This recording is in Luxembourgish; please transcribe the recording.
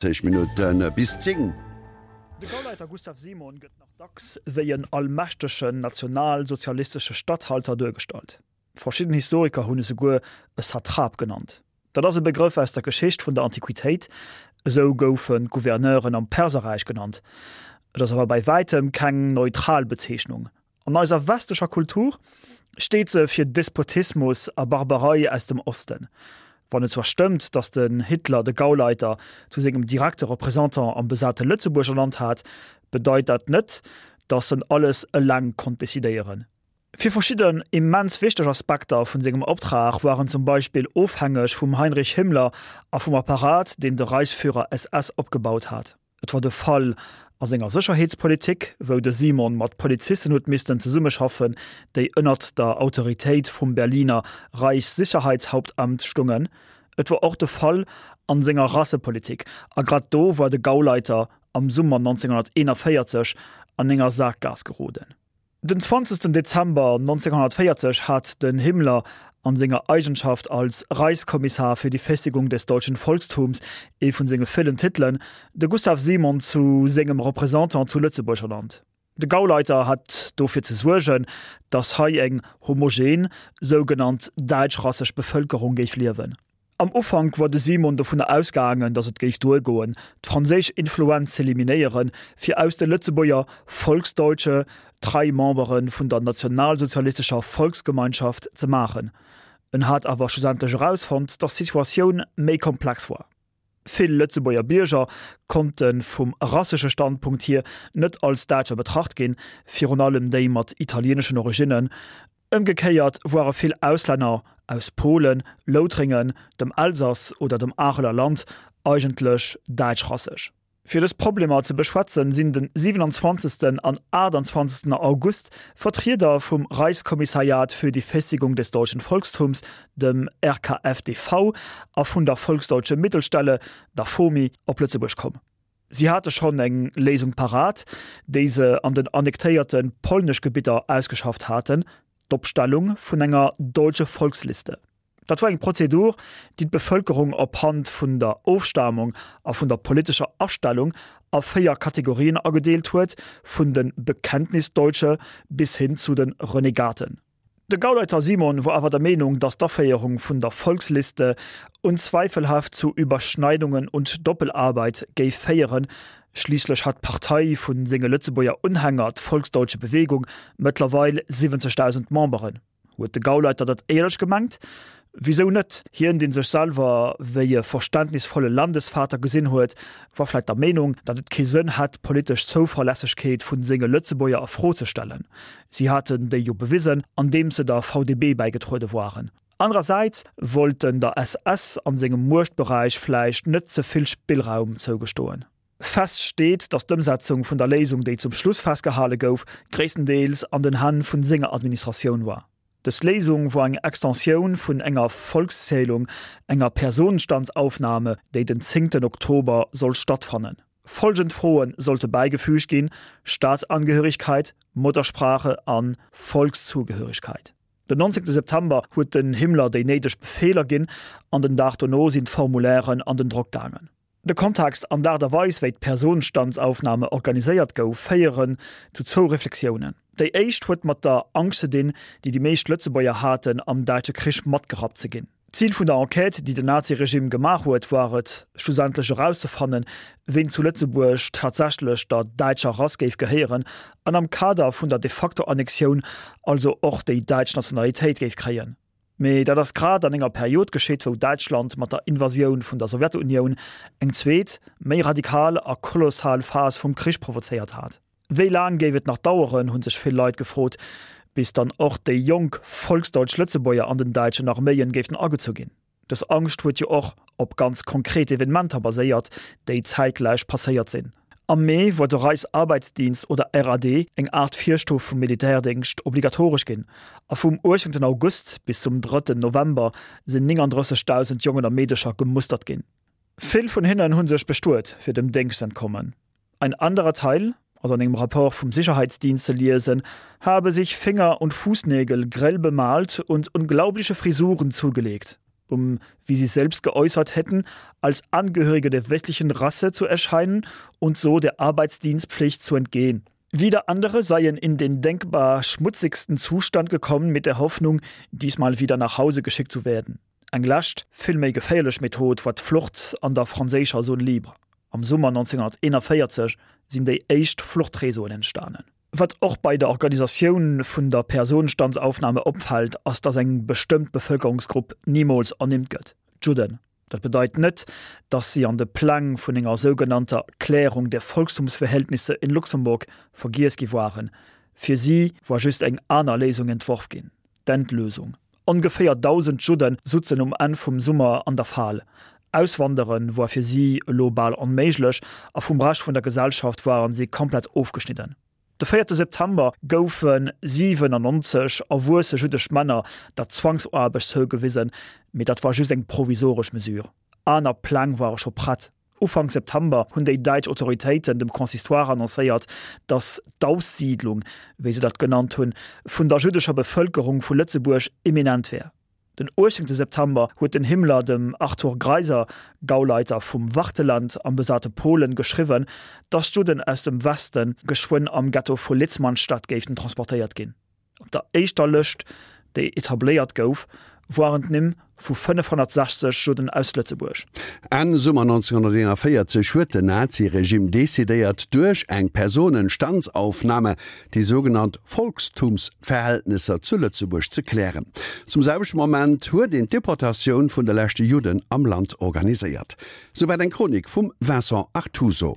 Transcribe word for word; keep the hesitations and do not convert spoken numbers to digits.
Zéng Minutte bis zéng. De Gauleiter Gustav Simon gëtt nach dacks wéi en allmächtegen nationalsozialistesche Statthalter duergestallt. Verschidden Historiker hunn e souguer e Satrap genannt. Dat ass e Begrëff aus der Geschicht vun der Antiquitéit, esou goufen d'Gouverneuren am Perserräich genannt. Et ass awer bei wäitem keng neutral Bezeechnung. An eiser westlecher Kultur steet se fir Despotismus a Barbarei aus dem Osten. Wann et zwar stëmmt, datt den Hitler de Gauleiter zu sengem direkte Représentant am besate Lëtzebuerg ernannt hat, bedeit dat net, datt en alles eleng konnt decidéieren. Fir verschidden immens wichteg Aspekter vun sengem Optrag war en zum Beispill ofhängeg vum Heinrich Himmler a vum Apparat, deen de Reichsführer S S opgebaut hat. Et war de Fall a senger Sécherheetspolitik, wou de Simon mat Polizisten huet missten zesummeschaffen, déi ënnert der Autoritéit vum Berliner Reichssicherheitshauptamt stungen. Et war och de Fall an senger Rassepolitik, a grad do war de Gauleiter am Summer nonzénghonnerteenanvéierzeg an enger Saakgaass geroden. Den zwanzegsten Dezember nonzénghonnertvéierzeg hat den Himmler an senger Eigenschaft als Reichskommissar für die Festigung des deutschen Volkstums, ee vun senge villen Titelen, de Gustav Simon zu sengem Représentant zu Lëtzebuerg ernannt. De Gauleiter hat dofir ze suergen, datt hei eng homogen, sougenannt däitschrasseg Bevëlkerung géif liewen. Am Ufank war de Simon dovunner ausgaangen, datt et géif duergoen, d'franséisch Influenz z'eliminéieren, fir aus de Lëtzebuerger Volksdeutsche trei Membere vun der nationalsozialistescher Volksgemeinschaft ze maachen. En hat awer schlussendlech erausfonnt, datt d'Situatioun méi komplex war. Vill Lëtzebuerger Bierger konnte vum rassesche Standpunkt hier net als Däitscher betracht ginn, virun allem déi mat italieeneschen Originnen. Ëmgekéiert ware vill Auslänner aus Polen, Loutrengen, dem Elsass oder dem Areler Land eigentlech däitschrasseg. Fir dës Problemer ze beschwätzen, sinn den siewenundzwanzegsten an aachtundzwanzegsten August Vertrieder vum Reichskommissariat für die Festigung des deutschen Volkstums, dem R K F D V, a vun der Volksdeutsche Mittelstelle, der FOMI, op Lëtzebuerg komm. Si hate schonn eng Léisung parat, déi se an den annektéierte polnesch Gebidder ausgeschafft haten, d'Opstellung vun enger deutsche Volksliste. Dat war eng Prozedur, déi d'Bevëlkerung op Hand vun der Ofstamung a vun der politescher Astellung a véier Kategorien agedeelt huet, vun den Bekenntnisdeutsche bis hin zu den Renegaten. De Gauleiter Simon war awer der Meenung, datt d'Aféierung vun der Volksliste unzweifelhaft zu Überschneidungen und Doppelarbeit géif féieren. Schliisslech hat d'Partei vun senge Lëtzebuerger Unhänger, d'Volksdeutsche Bewegung, mëttlerweil siwwenzegdausend Memberen. Huet de Gauleiter dat éierlech gemengt? Wieso net? Hien, deen sech selwer wéi e verständnisvolle Landesvater gesinn huet, war vläicht der Meenung, datt et kee Sënn hätt, d'politesch Zouverlässegkeet vun senge Lëtzebuerger a Fro ze stellen. Si haten déi jo bewisen, andeems se der V D B bäigetruede waren. Andererseits wollten der S S an sengem Muechtbereich vläicht net ze vill Spillraum zougestoen. Fest steet, datt d'Ëmsetzung vun der Léisung, déi zum Schluss festgehale gouf, gréisstendeels an den Hänn vun senger Administratioun war. Dës Léisung war eng Extensioun vun enger Volkszählung, enger Personenstandsaufnahme, déi den zéngten Oktober soll stattfannen. Folgend Froen sollte beigefügt ginn: Staatsangehörigkeit, Muttersprache an Volkszugehörigkeit. Den neunzehnten September huet den Himmler déi néideg Befehler ginn, an den Dag dono sinn d'Formulären an den Drock gaangen. De Kontext an d'Aart a Weis, wéi d'Personenstandsaufnahme organiséiert gouf, féieren zu zwou Reflexiounen. Déi éischt huet mat der Angscht ze dinn, déi déi meescht Lëtzebuerger haten, am Däitsche Krich matgerappt ze ginn. D'Zil vun der Enquête, déi den Naziregime gemaach huet, war et, schlussendlech erauszefannen, ween zu Lëtzebuerg tatsächlech der däitscher Rass géif gehéieren an am Kader vun der de facto Annexioun also och déi däitsch Nationalitéit géif kréien. Mee dat ass grad an enger Period geschitt, wou Däitschland mat der Invasioun vun der Sowjetunioun eng zweet, méi radikal a kolossal Phas vum Krich provozéiert hat. Wéi laang géif et nach daueren, hunn sech vill Leit gefrot, bis dann och déi jonk volksdeutsch Lëtzebuerger an den däitschen Arméien géifen agezu ginn. Dës Angscht huet jo och op ganz konkret Evenementer baséiert, déi zäitgläich passéiert sinn. Am Mee war de Reichsarbeitsdienst oder R A D eng Art Virstuf vum Militärdéngscht obligatoresch ginn. A vum achtzehnten August bis zum drëtten November sinn neununddreißigtausend Jongen a Meedercher gemustert ginn. Vill vun hinnen hunn sech bestuet, fir dem Déngscht ze entkommen. Ein anderer Teil, also an engem Rapport vum Sicherheitsdienst zu lesen, habe sich Finger- und Fußnägel grell bemalt und unglaubliche Frisuren zugelegt. um, wie sie selbst geäußert hätten, als Angehörige der westlichen Rasse zu erscheinen und so der Arbeitsdienstpflicht zu entgehen. Wieder andere seien in den denkbar schmutzigsten Zustand gekommen mit der Hoffnung, diesmal wieder nach Hause geschickt zu werden. Eng lescht, vill méi geféierlech Method war d'Flucht an der franséischer Zone libre. Am Summer neunzehnhunnerteenundvéierzeg sinn déi éischt Fluchtréseauen entstanen. Wat och bei der Organisatioun vun der Personenstandsaufnahme opfält, ass dass eng bestëmmt Bevëlkerungsgrupp nimools ernimmt gëtt, d'Judden. Dat bedeit net, dass si an de Pläng vun enger sougenannter Klärung der Volkstumsverhältnisse in Luxemburg vergiess gi waren. Fir si war just eng aner Léisung entworf ginn, d'Endlösung. Ongeféier dausend Judden sutzen um Enn vum Summer an der Fal. Auswandere war fir si elo bal onméiglech a vum Rescht vun der Gesellschaft waren si komplett ofgeschnidden. De véierte September goufe siwenannonzeg erwuesse jüddesch Männer der Zwangsaarbecht zougewisen, mee dat war just eng provisoresch Mesure. Aner Pläng ware scho prett. Ufank September hunn déi däitsch Autoritéiten dem Consistoire annoncéiert, datt d'Aussiedlung, wéi se dat genannt hunn, vun der jüddescher Bevëlkerung vu Lëtzebuerg imminent wär. Den uechtzéngte September huet den Himmler dem Arthur Greiser, Gauleiter vum Wartheland am besate Polen, geschriwwen, datt d'Judden aus dem Westen geschwënn am Ghetto vu Litzmannstadt géifen transportéiert ginn. Op der éischter Lëscht, déi etabléiert gouf, waren d'Nimm vu fënnefhonnertsechzeg Judden aus Lëtzebuerg. Enn Summer neunzehnhunnerteenundvéierzeg huet den Naziregime decidéiert, duerch eng Personenstandsaufnahme déi sougenannt Volkstumsverhältnisser zu Lëtzebuerg ze klären. Zum selwechte Moment huet een d'Deportatioun vun de leschte Judden am Land organiséiert. Souwäit eng Chronik vum Vincent Artuso.